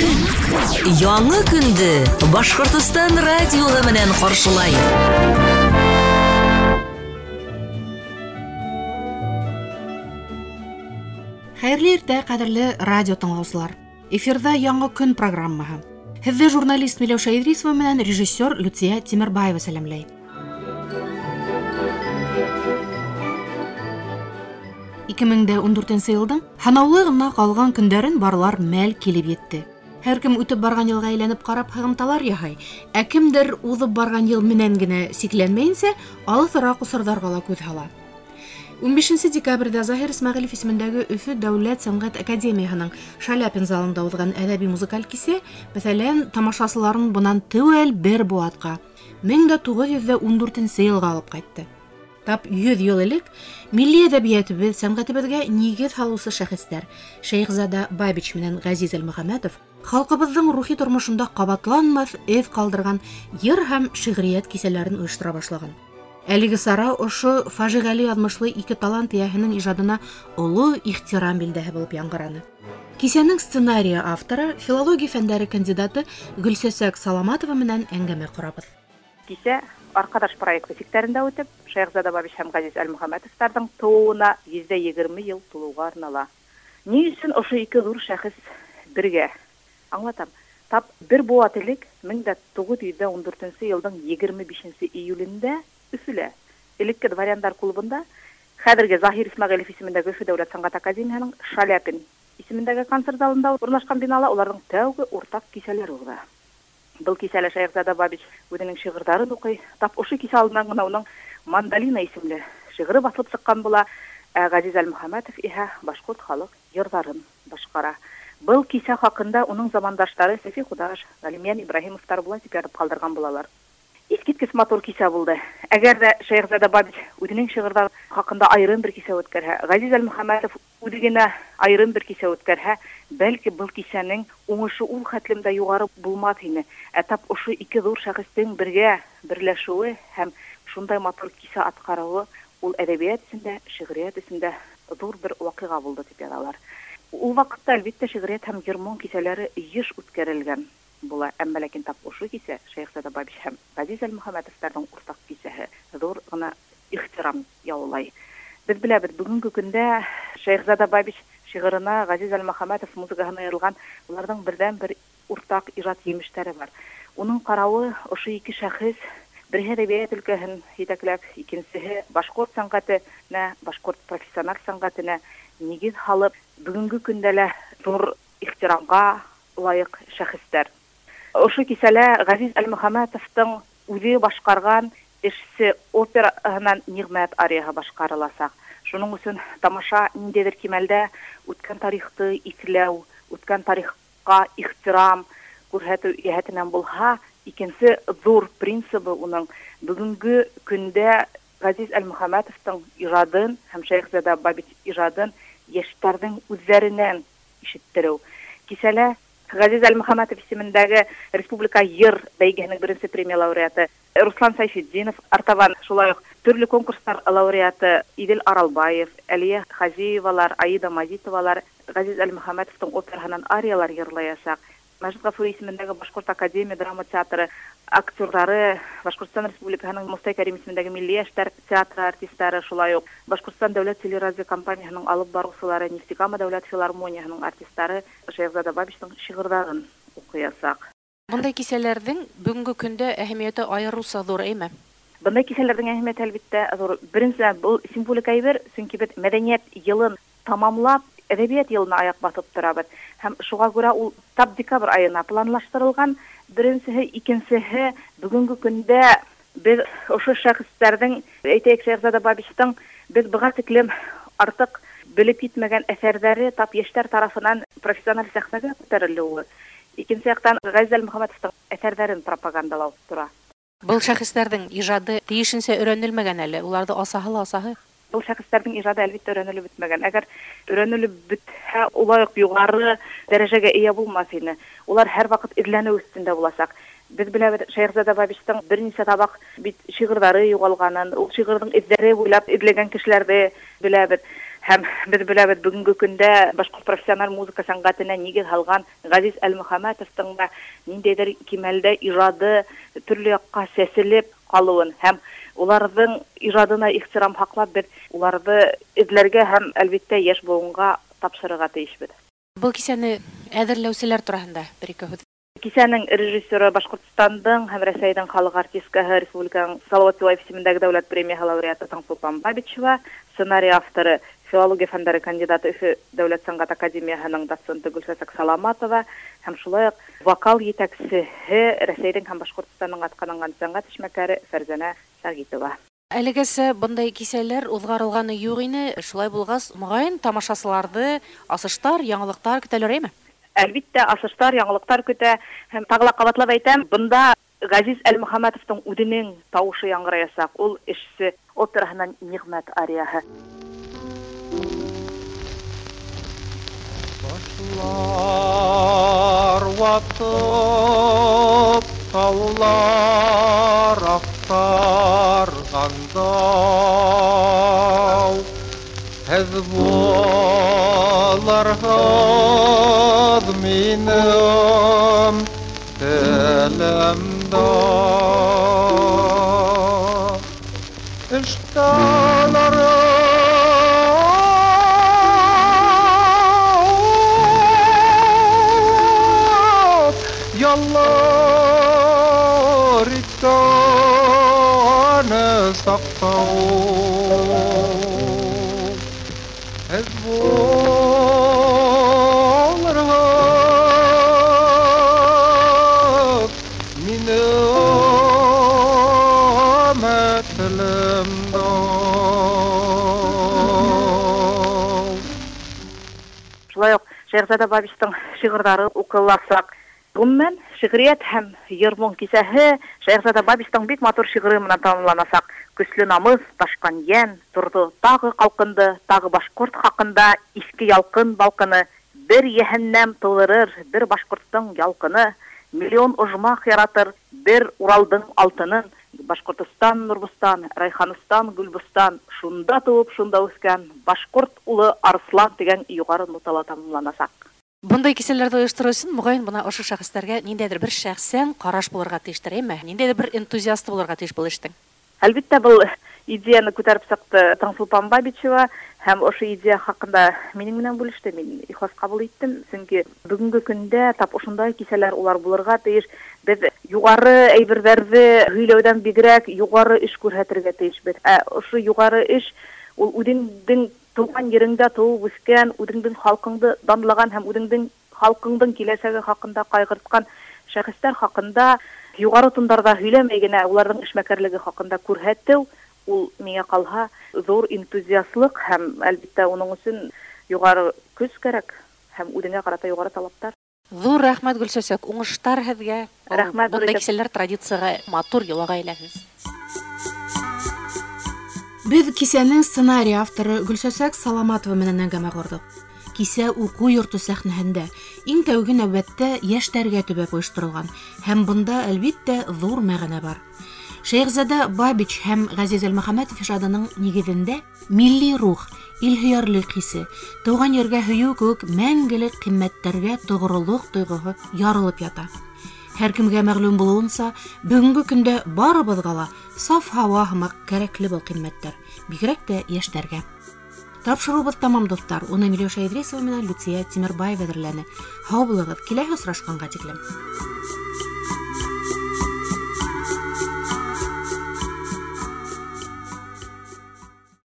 Көн. Яңы көндө Башҡортостан радиоһы менән ҡаршылай. Хәйерле иртә, ҡәҙерле радио тыңлаусылар. Эфирҙа Яңы көн программаһы. Һеҙҙе журналист Миләүшә Идрисова менән режиссер Люция Тимербаева сәләмләй. 2014 йылдың һанаулы ғына ҡалған көндәрен барлар мәл килеп етте. Һәр кем үтеп барған йылға әйләнеп ҡарап һығымталар яһай, ә кемдер уҙып барған йыл менән генә сикләнмәйенсә, алыҫыраҡ осорҙарға ла күҙ һала. 15 декабрҙә Заһир Исмәғилев исемендәге Өфө дәүләт сәнғәт академияһының Шаляпин залында уҙған әҙәби музыкаль кисә, мәҫәлән, тамашасыларын бынан теүәл бер быуатҡа 1914 йылға алып ҡайтты. Тап 100 йыл элек милли әҙәбиәтебеҙ, сәнғәтебеҙгә нигеҙ һалыусы шәхестәр Шәйехзада Бабич менән Ғәзиз Әлмөхәмәтов халҡыбыҙҙың рухи тормошонда ҡабатланмаҫ эҙ ҡалдырған йыр һәм шиғриәт кисәләрен ойоштора башлаған. Әлеге сара ошо фажиғәле яҙмышлы ике талант эйәһенең ижадына оло ихтирам билдәһе булып яңғыраны. Кисәнең сценарийы авторы, филология фәндәре кандидаты Гөлсәсәк Саламатова менән әңгәмә ҡорабыҙ. Кисә Арҡадаш проекты сиктәрендә үтеп, Шәйехзада Бабич һәм Ғәзиз Әлмөхәмәтовтарҙың тыуыуына 120 йыл тулыуға арнала. Ни өсөн ошо ике ҙур шәхес бергә? Аңлатам. Тап бер быуат элек 1914 йылдың 25 июлендә Өфөлә, элекке дворяндар клубында, хәҙерге Заһир Исмәғилев исемендәге Өфө дәүләт сәнғәт академияһының Шаляпин исемендәге концерт залында урынлашҡан бинала уларҙың тәүге уртаҡ кисәләре уҙа. Был кисәлә Шәйехзада Бабич үҙенең шиғырҙарын уҡый. Тап ошо кисә алдынан ғына уның Мандолина исемле шиғыры баҫылып сыҡҡан була. Ә Ғәзиз Әлмөхәмәтов иһә башҡорт халыҡ йырҙарын башҡара. Был кисә хаҡында уның замандаштары Сәфи Ҡудаш, Ғәлимйән Ибраһимовтар былай тип яҙып ҡалдырған булалар. Иҫ киткес матур кисә булды. Әгәр ҙә Шәйехзада Бабич үҙенең шиғырҙары хаҡында айырым бер кисә үткәрһә, Ғәзиз Әлмөхәмәтов үҙе генә айырым бер кисә үткәрһә, бәлки был кисәнең уңышы ул хәтлем дә юғары булмаҫ ине. Ә тап ошо ике ҙур шәхестең бергә берләшеүе һәм шундай матур кисә атҡарыуы ул әҙәбиәт өсөн дә, шиғриәт өсөн дә ҙур бер ваҡиға булды тип яҙалар. Ул ваҡытта әлбиттә шиғриәт һәм йыр-моң кисәләре йыш үткәрелгән була. Әммә ләкин тап ошо кисә Шәйехзада Бабич һәм Ғәзиз Әлмөхәмәтовтарҙың уртаҡ кисәһе ҙур ғына ихтирам яулай. Беҙ беләбеҙ, бөгөнгө көндә Шәйехзада Бабич шиғырына, Ғәзиз Әлмөхәмәтов музыкаһына йырылған уларҙың берҙән-бер уртаҡ ижад емештәре бар. Уның ҡарауы ошо ике шәхес, береһе әҙәбиәт өлкәһен етәкләп, икенсеһе башҡорт сәнғәтенә, башҡорт профессиональ сәнғәтенә нигеҙ һалып, бөгөнгө көндә лә ҙур ихтирамға лайыҡ шәхестәр. Ошо кисәлә Ғәзиз Әлмөхәмәтовтың үҙе башҡарған Эшсе операһынан Ниғмәт арияһы башҡарыласаҡ. Шуның өсөн тамаша ниндәйҙер кимәлдә үткән тарихты иҫләү, үткән тарихҡа ихтирам күрһәтеү йәһәтенән булһа, икенсе ҙур принцибы уның бөгөнгө көндә Ғәзиз Әлмөхәмәтовтың ижадын һәм Шәйехзада Бабич ижадын йәштәрҙең үҙҙәренән ишеттереү. Кисәлә Ғәзиз Әлмөхәмәтов исемендәге Республика йыр бәйгеһенең беренсе премия лауреаты Руслан Сайфетдинов, артабан шулай уҡ төрлө конкурстар лауреаты Иҙел Аралбаев, Әлиә Хазиевалар, Аида Мазитовалар Ғәзиз Әлмөхәмәтовтың операһынан ариялар йырлаясаҡ. Мәжит Ғафури исемендәге Башҡорт академия драма театры актерҙары, Башҡортостан Республикаһының Мостай Кәрим исемендәге Милли йәштәр театры артистары, шулай уҡ Башҡортостан дәүләт телерадиокомпанияһының алып барыусылары, Нефтекама дәүләт филармонияһының артистары Шәйехзада Бабичтың шиғырҙарын уҡыясаҡ. Бындай кисәләрҙең бөгөнгө көндә әһәмиәте айырыуса ҙур, әйме? Бындай кисәләрҙең әһәмиәте әлбиттә ҙур. Беренсенән, был символик әйбер, сөнки беҙ мәҙәниәт йылын тамамлап, әҙәбиәт йылына аяҡ баҫып торабыҙ. Һәм шуға күрә ул тап декабрь айына планлаштырылған. Беренсеһе, икенсеһе, бөгөнгө көндә беҙ ошо шәхестәрҙең, әйтәйек, Шәйехзада Бабичтың беҙ быға тиклем артыҡ белеп етмәгән әҫәрҙәре тап йәштәр тарафынан профессиональ сәхнәгә күтәрелеүе. Икенсе яҡтан Ғәзиз Әлмөхәмәтовтың әҫәрҙәрен пропагандалау тора. Был шәхестәрҙең ижады тейешенсә өйрәнелмәгән әле, уларҙы асаһы ла асаһы. Был шәхестәрҙең ижады әлбиттә өйрәнелеп бөтмәгән. Әгәр өйрәнелеп бөтһә, улай уҡ юғары дәрәжәгә эйә булмаҫ ине. Улар һәр ваҡыт эҙләнеү өҫтөндә буласаҡ. Беҙ беләбеҙ, Шәйехзада Бабичтың бер нисә табаҡ бит шиғырҙары юғалғанын, ул шиғырҙың эҙҙәре буйлап эҙләгән кешеләрҙе беләбеҙ. Һәм беҙ беләбеҙ, бөгөнгө көндә башҡорт профессиональ музыка сәнғәтенә нигеҙ һалған Ғәзиз Әлмөхәмәтовтың да ниндәйҙер кимәлдә ижады төрлө яҡҡа сәселеп ҡалыуын һәм уларҙың ижадына ихтирам һаҡлап, беҙ уларҙы эҙләргә һәм, әлбиттә, йәш быуынға тапшырырға тейешбеҙ. Был кисәне әҙерләүселәр тураһында бер-ике һүҙ. Кисәнең режиссеры Башҡортостандың һәм Рәсәйҙең халыҡ артисткаһы, Республиканың Салауат Юлаев исемендәге дәүләт премияһы лауреаты Таңсулпан Бабичева, сценарий авторы филология фәндәре кандидаты Өфө дәүләт сәнғәт академияһының доценты Гөлсәсәк Саламатова һәм шулай уҡ вокал етәксеһе Рәсәйҙең һәм Башҡортостандың атҡаҙанған сәнғәт эшмәкәре Фәрзәнә Сәғитова. Әлегәсә бындай кисәләр уҙғарылғаны юҡ ине, шулай булғас, моғайын тамашасыларҙы асыштар, яңылыҡтар көтәләр, әйме? Әлбиттә, асыштар, яңылыҡтар көтә. Һәм тағы ла ҡабатлап әйтәм, бында Ғәзиз Әлмөхәмәтовтың үҙенең тауышы яңғыраясаҡ. Ул эшсе операһынан Ниғмәт арияһы. Башлар ватып, таулар аҡтарғанда, һеҙ булырһығыҙ минең телемдә. Эштәләр яллар иткән саҡтау, һеҙ булырһығыҙ минең телемдә. Шулай уҡ Шәйехзада Бабичтың шиғырҙары уҡыласаҡ. Ғөмүмән, шиғриәт һәм йыр-моң кисәһе Шәйехзада Бабичтың бик матур шиғыры менән тамамланасаҡ. Көслө намыҫ, ташҡан йән, торҙо тағы ҡалҡынды, тағы башҡорт хаҡында иҫке ялҡын балҡыны, бер йәһәннәм тыуҙырыр, бер башҡорттоң ялҡыны, миллион ожмах яратыр, бер Уралдың алтынын, Башҡортостан, Нурбостан, Райханстан, Гөлбостан, шунда тыуып, шунда үҫкән башҡорт улы Арыслан тигән юғары нотала тамамланасаҡ. Бындай кисәләрҙе ойоштороу өсөн, моғайын, бына ошо шәхестәргә ниндәйҙер бер шәхсән ҡараш булырға тейештер, әйме? Ниндәйҙер бер энтузиасты булырға тейеш был эштең. Әлбиттә, был идеяны күтәреп сыҡты Таңсулпан Бабичева һәм ошо идея хаҡында минең менән бүлеште. Мин ихлас ҡабул иттем, сөнки бөгөнгө көндә тап ошондай кисәләр улар булырға тейеш. Беҙ юғары әйберҙәрҙе һөйләүҙән бигерәк юғары эш күрһәтергә тейешбеҙ. Ә ошо юғары эш ул үҙеңдең тыуған ереңдә тыуып үҫкән, үҙеңдең халҡыңды данлаған һәм үҙеңдең халҡыңдың киләсәге хаҡында ҡайғыртҡан шәхестәр хаҡында юғары тондарҙа һөйләмәй генә уларҙың эшмәкәрлеге хаҡында күрһәтеү, ул миңә ҡалһа ҙур энтузиастлыҡ һәм әлбиттә уның өсөн юғары көс кәрәк һәм үҙеңә ҡарата юғары талаптар. Ҙур рәхмәт, Гөлсәсәк, уңыштар һеҙгә. Рәхмәт, Бындай Гөлсәсәк. кисәләр традицияға, матур йолаға әйләнһен. Беҙ кисәнең сценарий авторы Гөлсәсәк Саламатова менән әңгәмә ҡорҙоҡ. Кисә уҡыу йорто сәхнәһендә иң тәүге нәүбәттә йәштәргә төбәп ойошторолған һәм бында, әлбиттә, ҙур мәғәнә бар. Шәйехзада Бабич һәм Ғәзиз Әлмөхәмәтов ижадының нигеҙендә милли рух, илһөйәрлек хисе, тыуған ергә һөйөү кеүек мәңгелек ҡиммәттәргә тоғролоҡ тойғоһо ярылып ята. Һәр кемгә мәғлүм булыуынса, бөгөнгө көндә барыбыҙға ла саф һауа һымаҡ кәрәкле был ҡиммәттәр, бигерәк тә йәштәргә. Тапшырыуыбыҙ тамам, дуҫтар. Уны Миләүшә Идрисова менән Люция Тимербаева әҙерләне. Һау булығыҙ, киләһе осрашҡанға тиклем.